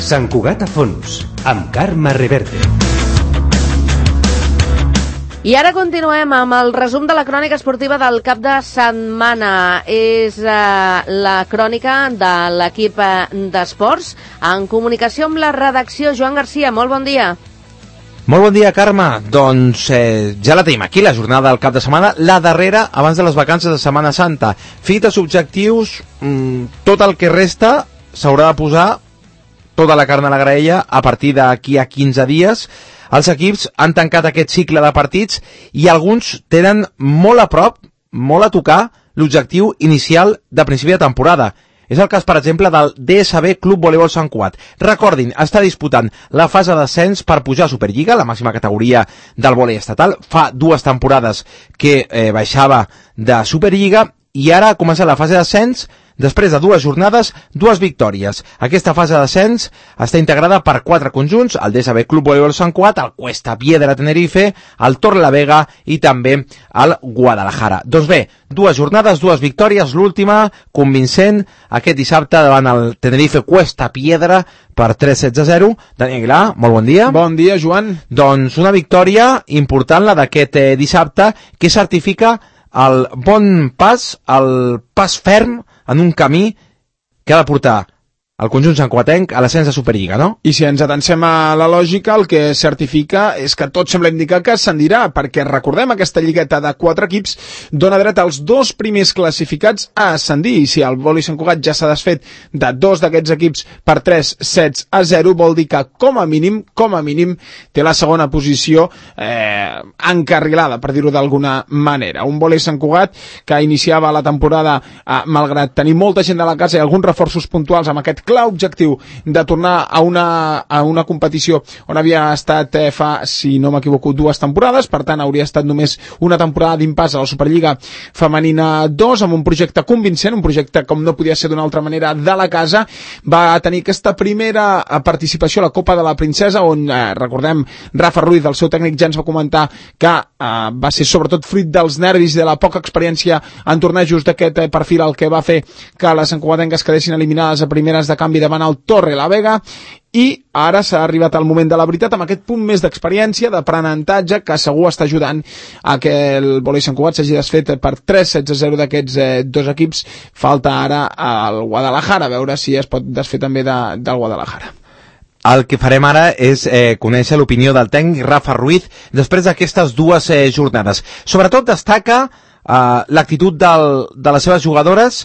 Sant Cugat a fons, amb Carme Reverte. I ara continuem amb el resum de la crònica esportiva del cap de setmana. És la crònica de l'equip d'esports en comunicació amb la redacció. Joan Garcia, molt bon dia. Molt bon dia, Carme. Doncs ja la tenim aquí, la jornada del cap de setmana, la darrera abans de les vacances de Setmana Santa. Fites, objectius, tot el que resta s'haurà de posar tota la carn a la graella a partir d'aquí a 15 dies. Els equips han tancat aquest cicle de partits i alguns tenen molt a prop, molt a tocar, l'objectiu inicial de principi de temporada. És el cas, per exemple, del DSB Club Voleibol Sant Cugat. Recordin, està disputant la fase d'ascens per pujar a Superliga, la màxima categoria del vòlei estatal. Fa 2 temporades que baixava de Superliga i ara ha començat la fase d'ascens. Després de 2 jornades, 2 victòries. Aquesta fase d'ascens està integrada per 4 conjunts, el DSB Club Voleibol Sant Cugat, el Cuesta Piedra Tenerife, el Torrelavega i també el Guadalajara. Doncs bé, 2 jornades, 2 victòries, l'última convincent aquest dissabte davant el Tenerife Cuesta Piedra per 3-16-0. Dani Aguilar, molt bon dia. Bon dia, Joan. Doncs una victòria important, la d'aquest dissabte, que certifica el bon pas, el pas ferm en un camí que ha de portar el conjunt santcugatenc a l'ascens de Superliga, no? I si ens atencem a la lògica, el que certifica és que tot sembla indicar que ascendirà, perquè recordem aquesta lligueta de 4 equips dona dret als 2 primers classificats a ascendir, i si el vòlei Sant Cugat ja s'ha desfet de 2 d'aquests equips per 3-7-0, vol dir que com a mínim, té la segona posició encarrilada, per dir-ho d'alguna manera. Un vòlei Sant Cugat que iniciava la temporada, malgrat tenir molta gent de la casa i alguns reforços puntuals amb aquest clar objectiu de tornar a una competició on havia estat fa, si no m'equivoco, 2 temporades, per tant hauria estat només una temporada d'impàs a la Superliga Femenina 2, amb un projecte convincent, un projecte com no podia ser d'una altra manera de la casa. Va tenir aquesta primera participació a la Copa de la Princesa, on recordem, Rafa Ruiz, el seu tècnic, ja ens va comentar que va ser sobretot fruit dels nervis i de la poca experiència en tornejos d'aquest perfil el que va fer que les santcugatenques quedessin eliminades a primeres de canvi davant el Torrelavega, i ara s'ha arribat al moment de la veritat amb aquest punt més d'experiència, d'aprenentatge, que segur està ajudant a que el vòlei Sant Cugat s'hagi desfet per 3-7-0 d'aquests 2 equips. Falta ara al Guadalajara, a veure si es pot desfer també del Guadalajara. El que farem ara és conèixer l'opinió del tècnic Rafa Ruiz després d'aquestes 2 jornades. Sobretot destaca l'actitud de les seves jugadores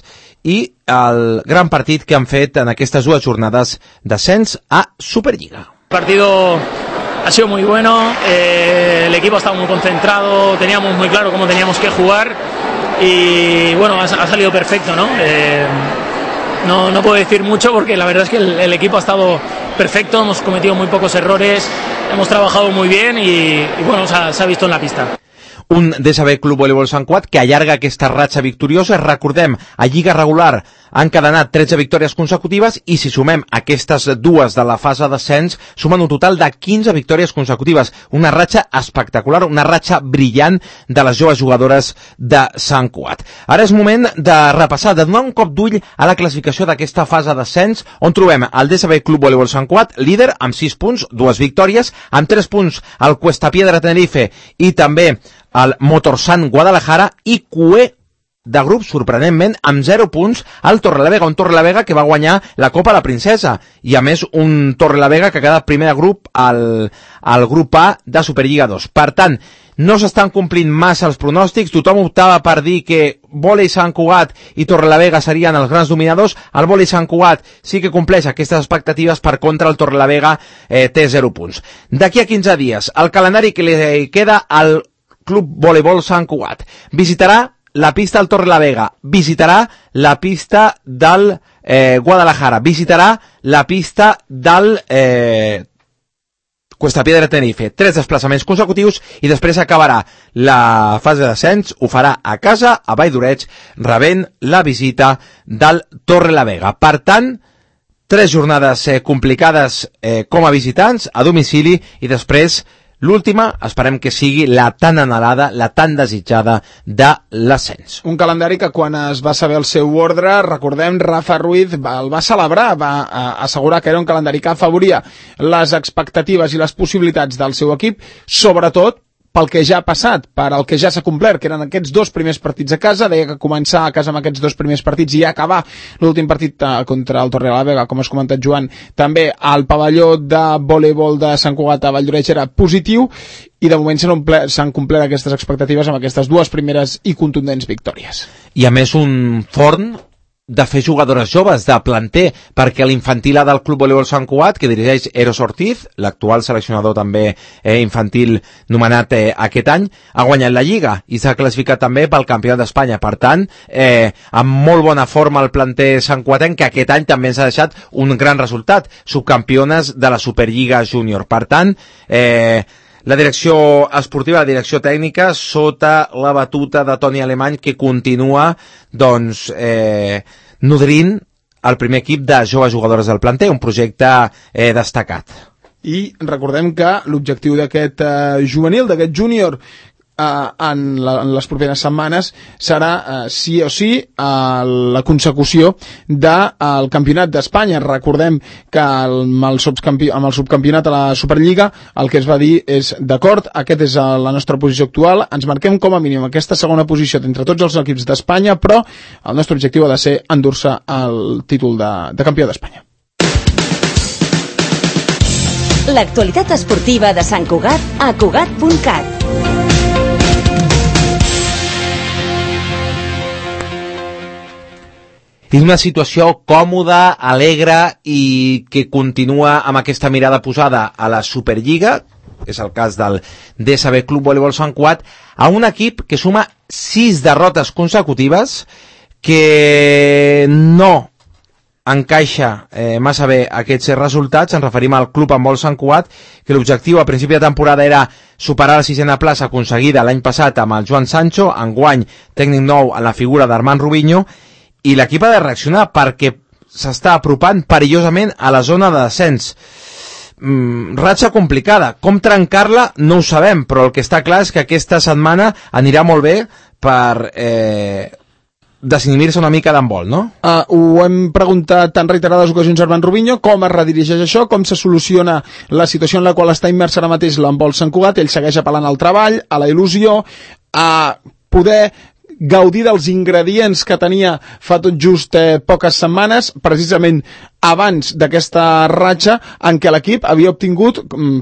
i el gran partit que han fet en aquestes 2 jornades d'ascens a Superliga. El partido ha sido muy bueno, el equipo ha estado muy concentrado, teníamos muy claro cómo teníamos que jugar y bueno, ha salido perfecto, ¿no? No puedo decir mucho porque la verdad es que el equipo ha estado perfecto, hemos cometido muy pocos errores, hemos trabajado muy bien y bueno, se ha visto en la pista. Un DSB Club Voleibol Sant Cugat que allarga aquesta ratxa victoriosa. Recordem, a Lliga regular han cadenat 13 victòries consecutives i si sumem aquestes 2 de la fase d'ascens, sumen un total de 15 victòries consecutives. Una ratxa espectacular, una ratxa brillant de les joves jugadores de Sant Cugat. Ara és moment de repassar, de donar un cop d'ull a la classificació d'aquesta fase d'ascens, on trobem el DSB Club Voleibol Sant Cugat, líder amb 6 punts, 2 victòries, amb 3 punts el Cuesta Piedra Tenerife i també el Motorsan Guadalajara, i cué de grup, sorprenentment, amb 0 punts al Torrelavega, un Torrelavega que va guanyar la Copa de la Princesa, i a més un Torrelavega que ha quedat primer de grup al grup A de Superliga 2. Per tant, no s'estan complint massa els pronòstics, tothom optava per dir que vòlei Sant Cugat i Torrelavega serien els grans dominadors. El vòlei Sant Cugat sí que compleix aquestes expectatives, per contra el Torrelavega té 0 punts. D'aquí a 15 dies, el calendari que li queda al Club Voleibol Sant Cugat: visitarà la pista del Torrelavega, visitarà la pista del Guadalajara, visitarà la pista del Cuesta Piedra Tenerife. 3 desplaçaments consecutius i després acabarà la fase d'ascens, ho farà a casa, a Vall d'Oreig, rebent la visita del Torrelavega. Per tant, 3 jornades complicades com a visitants, a domicili, i després l'última, esperem que sigui la tan anhelada, la tan desitjada de l'ascens. Un calendari que quan es va saber el seu ordre, recordem, Rafa Ruiz el va celebrar, va assegurar que era un calendari que afavoria les expectatives i les possibilitats del seu equip, sobretot pel que ja ha passat, per el que ja s'ha complert, que eren aquests 2 primers partits a casa. Deia que començar a casa amb aquests 2 primers partits i acabar l'últim partit contra el Torrelavega, com has comentat, Joan, també al pavelló de voleibol de Sant Cugat a Valldoreix era positiu, i de moment s'han complert aquestes expectatives amb aquestes 2 primeres i contundents victòries. I a més un forn de fer jugadores joves, de planter, perquè l'infantil A del Club Voleibol Sant Cugat, que dirigeix Eros Ortiz, l'actual seleccionador també infantil nomenat aquest any, ha guanyat la Lliga i s'ha classificat també pel Campionat d'Espanya. Per tant, amb molt bona forma el planter santcuatenc, que aquest any també ens ha deixat un gran resultat, subcampiones de la Superliga Júnior. Per tant, la direcció esportiva, la direcció tècnica, sota la batuta de Toni Alemany, que continua nodrint el primer equip de joves jugadores del planter, un projecte destacat. I recordem que l'objectiu d'aquest juvenil, d'aquest júnior, en les properes setmanes serà sí o sí la consecució del Campionat d'Espanya. Recordem que amb el subcampionat a la Superliga el que es va dir és d'acord, aquest és la nostra posició actual, ens marquem com a mínim aquesta segona posició d'entre tots els equips d'Espanya, però el nostre objectiu ha de ser endur-se el títol de campió d'Espanya. L'actualitat esportiva de Sant Cugat a Cugat.cat. És una situació còmoda, alegre i que continua amb aquesta mirada posada a la Superliga, és el cas del DSB Club Voleibol Sant Cugat, a un equip que suma 6 derrotes consecutives, que no encaixa massa bé aquests resultats. Ens referim al Club Handbol Sant Cugat, que l'objectiu a principi de temporada era superar la 6a plaça aconseguida l'any passat amb el Joan Sancho, enguany tècnic nou en la figura d'Armand Rubinho, i l'equip ha de reaccionar perquè s'està apropant perillosament a la zona de descens. Ratxa complicada. Com trencar-la no ho sabem, però el que està clar és que aquesta setmana anirà molt bé per desinhibir-se una mica d'handbol, no? Ho hem preguntat en reiterades ocasions a Armand Rubinho, com es redirigeix això, com se soluciona la situació en la qual està immersa ara mateix l'handbol Sant Cugat. Ell segueix apel·lant al treball, a la il·lusió, a poder gaudir dels ingredients que tenia fa tot just poques setmanes, precisament abans d'aquesta ratxa en què l'equip havia obtingut,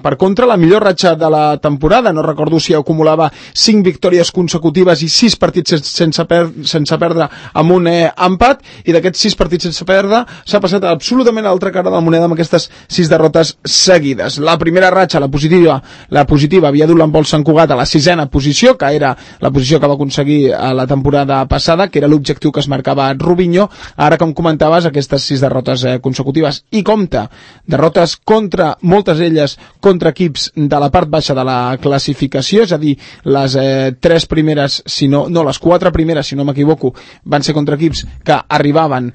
per contra, la millor ratxa de la temporada. No recordo si acumulava 5 victòries consecutives i 6 partits sense perdre amb un empat, i d'aquests 6 partits sense perdre s'ha passat absolutament a l'altra cara de la moneda amb aquestes 6 derrotes seguides. La primera ratxa, la positiva havia dut l'handbol Sant Cugat a la 6a posició, que era la posició que va aconseguir a la temporada passada, que era l'objectiu que es marcava Rubinho. Ara, com comentaves, aquestes 6 derrotes consecutives, i compta derrotes contra, moltes d'elles contra equips de la part baixa de la classificació, és a dir, les 3 primeres, les 4 primeres, si no m'equivoco, van ser contra equips que arribaven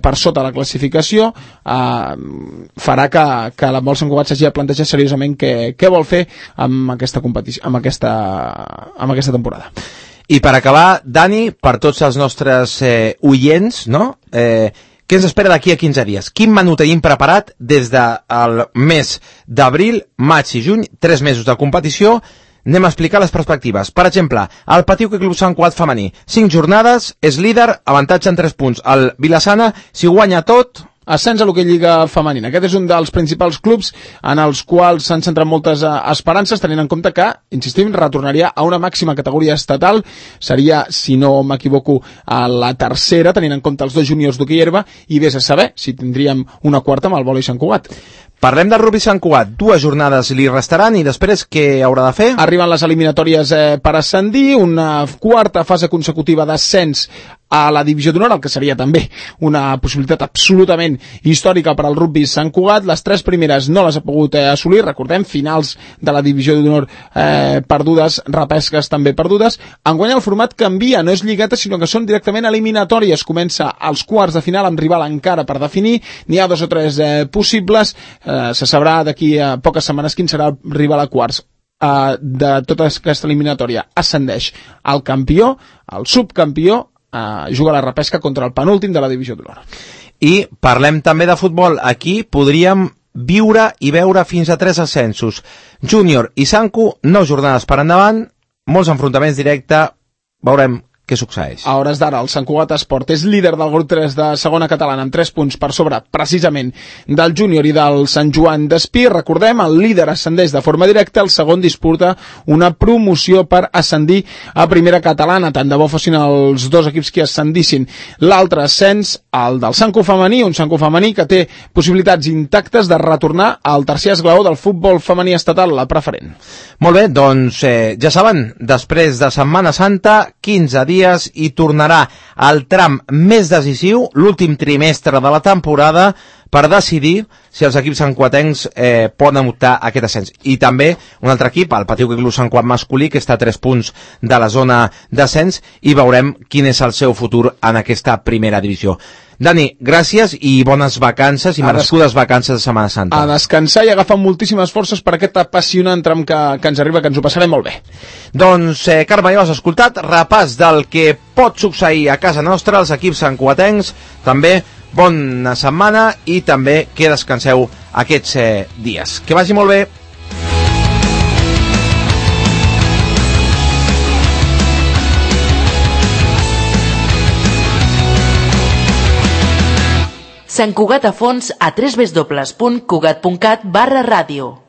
per sota la classificació. Farà que l'handbol Sant Cugat s'hagi de plantejar seriosament què vol fer amb aquesta competició, amb aquesta temporada. I per acabar, Dani, per tots els nostres oients, no? Què ens espera d'aquí a 15 dies? Quin menú tenim preparat des del mes d'abril, maig i juny, 3 mesos de competició? Anem a explicar les perspectives. Per exemple, el Patiu Club Sant Cugat femení, 5 jornades, és líder, avantatge en 3 punts. El Vilassana, si guanya tot, ascens a l'hoquei Lliga femenina. Aquest és un dels principals clubs en els quals s'han centrat moltes esperances, tenint en compte que, insistim, retornaria a una màxima categoria estatal. Seria, si no m'equivoco, a la tercera, tenint en compte els 2 juniors d'hoquei herba, i vés a saber si tindríem una quarta amb el vòlei Sant Cugat. Parlem del rugby Sant Cugat. 2 jornades li restaran i després què haurà de fer? Arriben les eliminatòries per ascendir, una quarta fase consecutiva d'ascens a la divisió d'honor, el que seria també una possibilitat absolutament històrica per al rugby Sant Cugat. Les 3 primeres no les ha pogut assolir, recordem, finals de la divisió d'honor perdudes, repesques també perdudes. Enguany el format canvia, no és lligueta, sinó que són directament eliminatòries. Comença als quarts de final amb rival encara per definir, n'hi ha 2 o 3 possibles, se sabrà d'aquí a poques setmanes quin serà el rival a quarts. de tota aquesta eliminatòria ascendeix el campió, el subcampió juga a la repesca contra el penúltim de la divisió d'honor. I parlem també de futbol. Aquí podríem viure i veure fins a 3 ascensos. Júnior i Sanku, 9 jornades per endavant, molts enfrontaments directes, veurem què succeeix. A hores d'ara, el Sant Cugat Esport és líder del grup 3 de segona catalana amb 3 punts per sobre, precisament, del Júnior i del Sant Joan d'Espí. Recordem, el líder ascendeix de forma directa, el segon disputa una promoció per ascendir a primera catalana. Tant de bo fossin els dos equips que ascendissin. L'altre ascens, el del Sanku femení, un Sanku femení que té possibilitats intactes de retornar al tercer esglaó del futbol femení estatal, la preferent. Molt bé, doncs ja saben, després de Setmana Santa, 15 dies i tornarà al tram més decisiu, l'últim trimestre de la temporada, per decidir si els equips santcuatencs poden optar a aquest ascens. I també un altre equip, el Patiu Club Sant Cugat masculí, que està a 3 punts de la zona d'ascens, i veurem quin és el seu futur en aquesta primera divisió. Dani, gràcies i bones vacances i merescudes vacances de Setmana Santa. A descansar i agafar moltíssimes forces per aquest apassionant tram que ens arriba, que ens ho passarem molt bé. Doncs, Carme, ja ho has escoltat, repàs del que pot succeir a casa nostra, els equips santcuatencs, també bona setmana i també que descanseu aquests dies. Que vagi molt bé. Sant Cugat a fons a www.cugat.cat/ràdio.